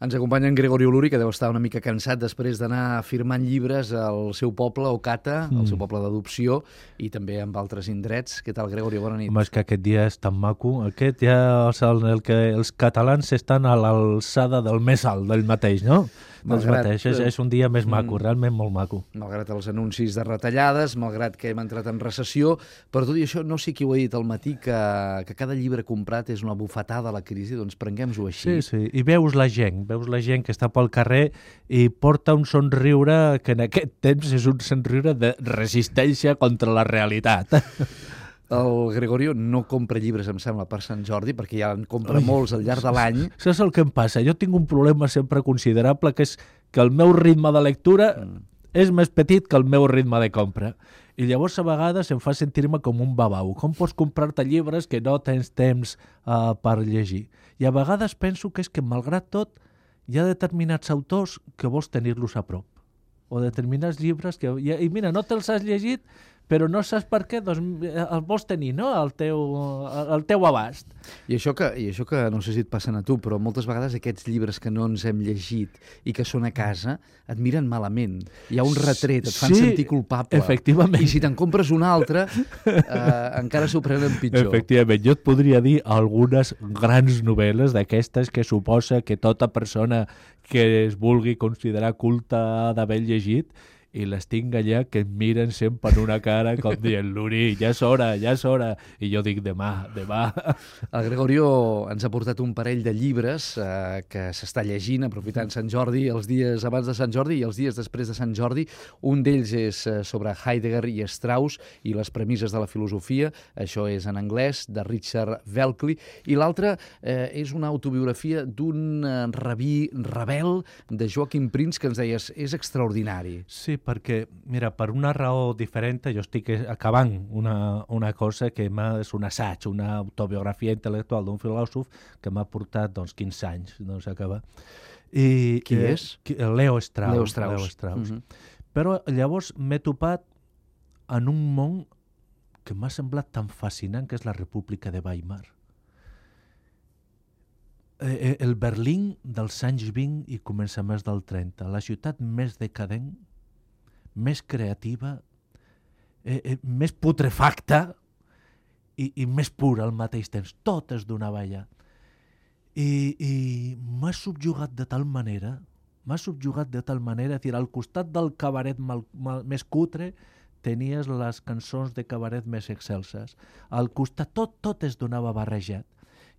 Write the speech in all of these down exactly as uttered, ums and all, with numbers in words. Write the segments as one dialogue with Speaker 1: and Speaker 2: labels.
Speaker 1: Ens acompanya en Gregorio Luri, que deu estar una mica cansat després d'anar firmant llibres al seu poble, Ocata, mm. el seu poble d'adopció, i també amb altres indrets. Què tal, Gregorio? Bona nit.
Speaker 2: Home, és que aquest dia és tan maco. Aquest ja és el, el que els catalans estan a l'alçada del més alt, del mateix, no? Dels
Speaker 1: Malgrat,
Speaker 2: mateix. És, és un dia més maco,
Speaker 1: mm,
Speaker 2: realment molt maco.
Speaker 1: Malgrat els anuncis de retallades, malgrat que hem entrat en recessió, però tot i això, no sé qui ho ha dit al matí, que, que cada llibre comprat és una bufetada a la crisi, doncs prenguem-ho així.
Speaker 2: Sí, sí, i veus la gent, veus la gent que està pel carrer i porta un somriure que en aquest temps és un somriure de resistència contra la realitat.
Speaker 1: El Gregorio no compra llibres, em sembla, per Sant Jordi, perquè ja en compra Ui, molts al llarg de l'any.
Speaker 2: Saps el que em passa? Jo tinc un problema sempre considerable, que és que el meu ritme de lectura mm. és més petit que el meu ritme de compra. I llavors a vegades em fa sentir-me com un babau. Com pots comprar-te llibres que no tens temps uh, per llegir? I a vegades penso que és que, malgrat tot, hi ha determinats autors que vols tenir-los a prop. O determinats llibres que... I mira, no te'ls has llegit, però no saps per què, doncs el vols tenir, no?, al teu, al teu abast.
Speaker 1: I això, que, I això que no sé si et passen a tu, però moltes vegades aquests llibres que no ens hem llegit i que són a casa et miren malament. Hi ha un retret, et fan
Speaker 2: sí,
Speaker 1: sentir culpable.
Speaker 2: Efectivament.
Speaker 1: I si te'n compres un altre, eh, encara s'ho prenen pitjor.
Speaker 2: Efectivament. Jo et podria dir algunes grans novel·les d'aquestes que suposa que tota persona que es vulgui considerar culta ha d'haver llegit, i les tinc allà que em miren sempre en una cara com dient, Luri, ja és hora, ja és hora. I jo dic, demà, demà.
Speaker 1: El Gregorio ens ha portat un parell de llibres eh, que s'està llegint, aprofitant Sant Jordi, els dies abans de Sant Jordi i els dies després de Sant Jordi. Un d'ells és eh, sobre Heidegger i Strauss i les premisses de la filosofia. Això és en anglès, de Richard Welkley. I l'altre eh, és una autobiografia d'un eh, rabí rebel de Joachim Prinz, que ens deies, és extraordinari.
Speaker 2: Sí, perquè, mira, per una raó diferent, jo estic acabant una, una cosa que és un assaig, una autobiografia intel·lectual d'un filòsof que m'ha portat doncs, quinze anys doncs, a acabar. I,
Speaker 1: Qui
Speaker 2: eh,
Speaker 1: és?
Speaker 2: Leo Strauss.
Speaker 1: Leo Strauss.
Speaker 2: Leo Strauss.
Speaker 1: Uh -huh.
Speaker 2: Però llavors m'he topat en un món que m'ha semblat tan fascinant, que és la República de Weimar. Eh, el Berlín dels anys vint i començaments del trenta, la ciutat més decadent, més creativa, eh, eh, més putrefacta i, i més pura al mateix temps. Tot es donava allà. I, i m'ha subjugat de tal manera, m'ha subjugat de tal manera, dir, al costat del cabaret mal, mal, més cutre tenies les cançons de cabaret més excelses. Al costat tot, tot es donava barrejat.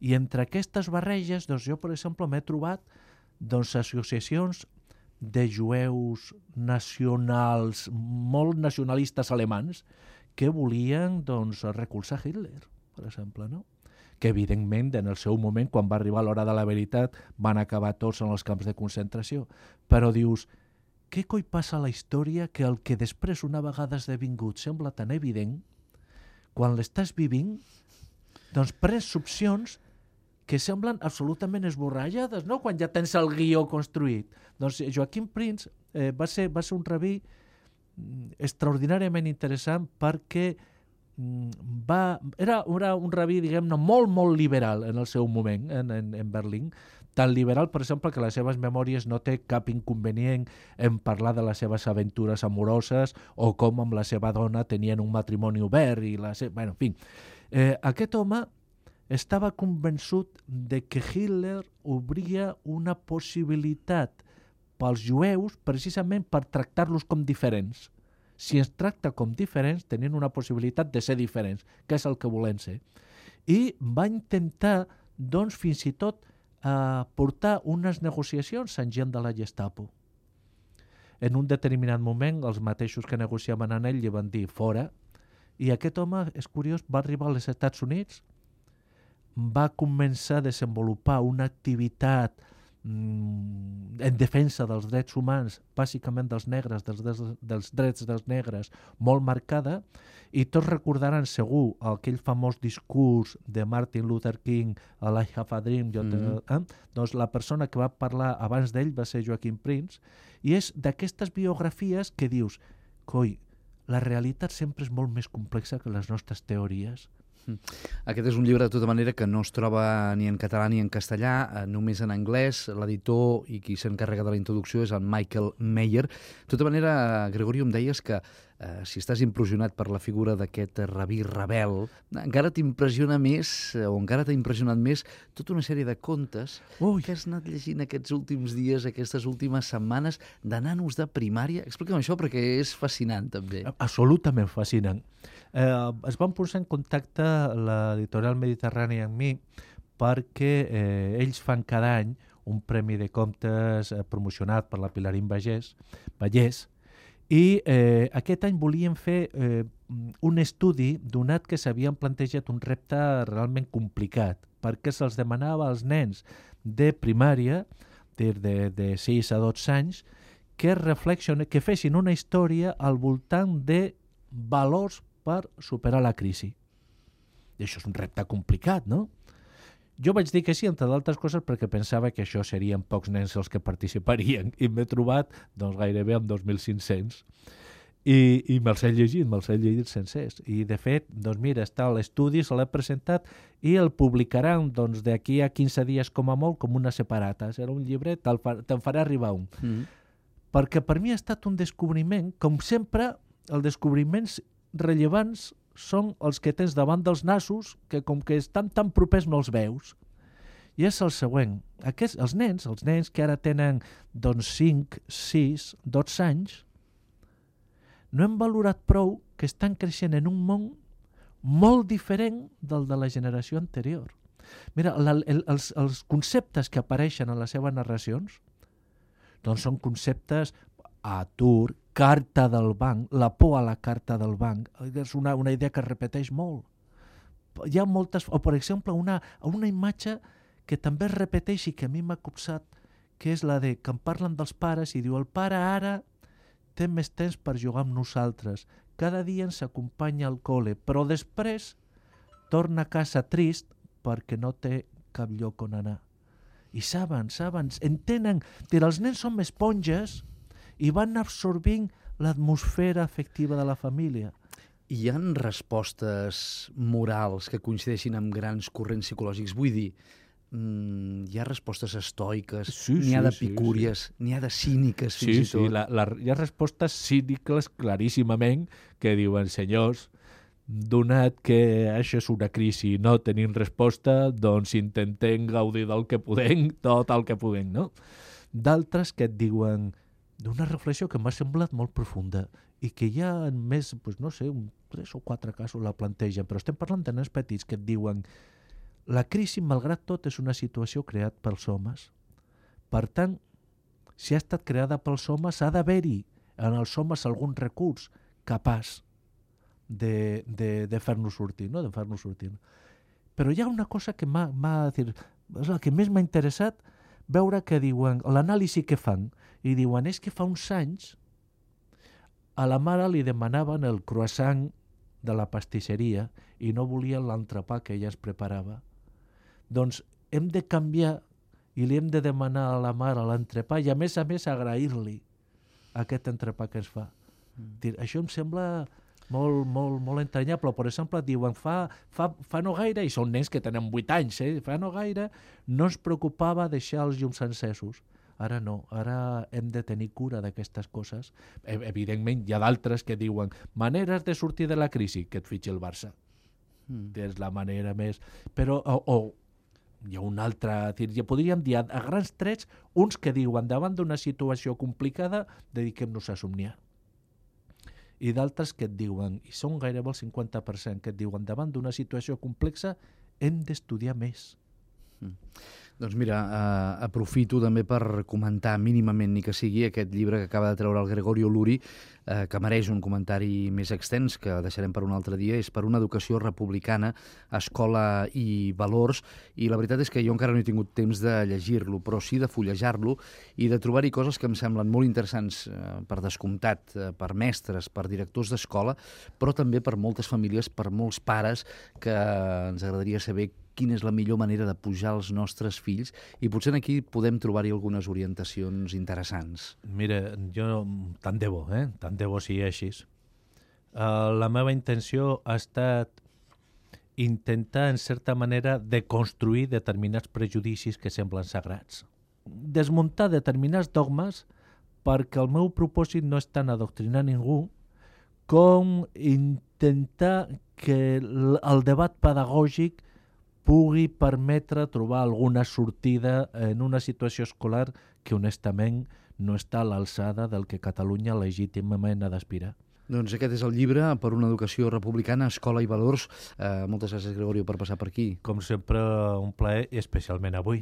Speaker 2: I entre aquestes barreges, doncs jo, per exemple, m'he trobat doncs, associacions de jueus nacionals, molt nacionalistes alemans, que volien doncs, recolzar Hitler, per exemple, no? Que evidentment en el seu moment, quan va arribar l'hora de la veritat, van acabar tots en els camps de concentració. Però dius, què coi passa a la història que el que després una vegada esdevingut sembla tan evident, quan l'estàs vivint, doncs prens opcions que semblen absolutament esborrallades, no?, quan ja tens el guió construït. Doncs Joachim Prinz eh, va, ser, va ser un rabí extraordinàriament interessant perquè va, era, era un rabí, diguem-ne, molt, molt liberal en el seu moment en, en, en Berlín. Tan liberal, per exemple, que les seves memòries no té cap inconvenient en parlar de les seves aventures amoroses o com amb la seva dona tenien un matrimoni obert i la seva... Bueno, en fi, eh, aquest home estava convençut de que Hitler obria una possibilitat pels jueus precisament per tractar-los com diferents. Si ens tracta com diferents, tenien una possibilitat de ser diferents, que és el que volem ser. I va intentar, doncs, fins i tot, eh, portar unes negociacions amb gent de la Gestapo. En un determinat moment, els mateixos que negociaven amb ell li van dir fora, i aquest home, és curiós, va arribar als Estats Units, va començar a desenvolupar una activitat mm, en defensa dels drets humans, bàsicament dels negres, dels, dels, dels drets dels negres, molt marcada, i tots recordaran segur aquell famós discurs de Martin Luther King, I Have a Dream, jo te, mm. eh? doncs la persona que va parlar abans d'ell va ser Joachim Prinz, i és d'aquestes biografies que dius, coi, la realitat sempre és molt més complexa que les nostres teories.
Speaker 1: Aquest és un llibre, de tota manera, que no es troba ni en català ni en castellà, només en anglès. L'editor i qui s'encarrega de la introducció és en Michael Meyer. De tota manera, Gregorio, em deies que eh, si estàs impressionat per la figura d'aquest rabí rebel, encara t'impressiona més, o encara t'ha impressionat més, tota una sèrie de contes Ui. que has anat llegint aquests últims dies, aquestes últimes setmanes, de nanos de primària. Explica'm això, perquè és fascinant, també.
Speaker 2: Absolutament fascinant. Eh, es van posar en contacte l'editorial Mediterrani amb mi perquè eh, ells fan cada any un premi de contes eh, promocionat per la Pilarín Vallès, Vallès i eh, aquest any volien fer eh, un estudi donat que s'havien plantejat un repte realment complicat perquè se'ls demanava als nens de primària, de, de, de sis a dotze anys, que reflexionen, que fessin una història al voltant de valors per superar la crisi. I això és un repte complicat, no? Jo vaig dir que sí, entre d'altres coses, perquè pensava que això serien pocs nens els que participarien, i m'he trobat doncs, gairebé amb dos mil cinc-cents. I, i me'ls he llegit, me'ls he llegit sencers. I, de fet, doncs mira, està a l'estudi, se l'he presentat i el publicaran doncs, d'aquí a quinze dies com a molt com una separata. Serà un llibret, te'l fa, te'n farà arribar un. Mm. Perquè per mi ha estat un descobriment, com sempre, els descobriments rellevants són els que tens davant dels nassos que com que estan tan propers no els veus. I és el següent. Aquests, els nens, els nens que ara tenen doncs, cinc, sis, dotze anys, no hem valorat prou que estan creixent en un món molt diferent del de la generació anterior. Mira, la, el, els, els conceptes que apareixen en les seves narracions doncs són conceptes atur, carta del banc, la por a la carta del banc, és una, una idea que es repeteix molt. Hi ha moltes, o per exemple una, una imatge que també es repeteix i que a mi m'ha copsat, que és la de que em parlen dels pares i diu el pare ara té més temps per jugar amb nosaltres, cada dia ens acompanya al col·le, però després torna a casa trist perquè no té cap lloc on anar. I saben, saben, entenen que els nens són esponges i van absorbint l'atmosfera afectiva de la família.
Speaker 1: Hi ha respostes morals que coincideixin amb grans corrents psicològics? Vull dir, mmm, hi ha respostes estoiques,
Speaker 2: sí,
Speaker 1: n'hi ha
Speaker 2: sí,
Speaker 1: de picúries, sí, sí. n'hi ha de cíniques, fins
Speaker 2: sí,
Speaker 1: i tot.
Speaker 2: Sí, la, la, hi ha respostes cíniques claríssimament que diuen, senyors, donat que això és una crisi i no tenim resposta, doncs intentem gaudir del que podem, tot el que podem, no? D'altres que et diuen d'una reflexió que m'ha semblat molt profunda i que hi ha més, doncs no sé, un tres o quatre casos la plantegen, però estem parlant de nens petits que et diuen la crisi, malgrat tot, és una situació creada pels homes. Per tant, si ha estat creada pels homes, ha d'haver-hi en els homes algun recurs capaç de, de, de fer-nos sortir, no? de fer-nos sortir. Però hi ha una cosa que m'ha, m'ha dir, és la que més m'ha interessat, veure que diuen, l'anàlisi que fan, i diuen, és que fa uns anys a la mare li demanaven el croissant de la pastisseria i no volien l'entrepà que ella es preparava. Doncs hem de canviar i li hem de demanar a la mare l'entrepà i a més a més agrair-li aquest entrepà que ens fa. Mm. Això em sembla molt, molt, molt entranyable. Per exemple, diuen, fa, fa, fa no gaire, i són nens que tenen vuit anys, eh? fa no gaire, no es preocupava deixar els llums encesos. Ara no, ara hem de tenir cura d'aquestes coses. Evidentment, hi ha d'altres que diuen maneres de sortir de la crisi, que et fitxi el Barça. Mm. És la manera més... Però, o, o hi ha un altre... Ja podríem dir, a grans trets, uns que diuen, davant d'una situació complicada, dediquem-nos a somniar. I d'altres que et diuen, i són gairebé el cinquanta per cent, que et diuen, davant d'una situació complexa, hem d'estudiar més.
Speaker 1: Mm. Doncs mira, eh, aprofito també per comentar mínimament, ni que sigui, aquest llibre que acaba de treure el Gregorio Luri, eh, que mereix un comentari més extens, que deixarem per un altre dia, és per una educació republicana, escola i valors, i la veritat és que jo encara no he tingut temps de llegir-lo, però sí de fullejar-lo i de trobar-hi coses que em semblen molt interessants, eh, per descomptat, eh, per mestres, per directors d'escola, però també per moltes famílies, per molts pares, que ens agradaria saber quina és la millor manera de pujar els nostres fills, i potser aquí podem trobar-hi algunes orientacions interessants.
Speaker 2: Mira, jo tant de bo, eh? tant de bo sigui així. Uh, la meva intenció ha estat intentar, en certa manera, deconstruir determinats prejudicis que semblen sagrats. Desmuntar determinats dogmes perquè el meu propòsit no és tant adoctrinar ningú com intentar que el debat pedagògic pugui permetre trobar alguna sortida en una situació escolar que, honestament, no està a l'alçada del que Catalunya legítimament ha d'aspirar.
Speaker 1: Doncs aquest és el llibre per una educació republicana, escola i valors. Eh, moltes gràcies, Gregorio, per passar per aquí.
Speaker 2: Com sempre, un plaer, especialment avui.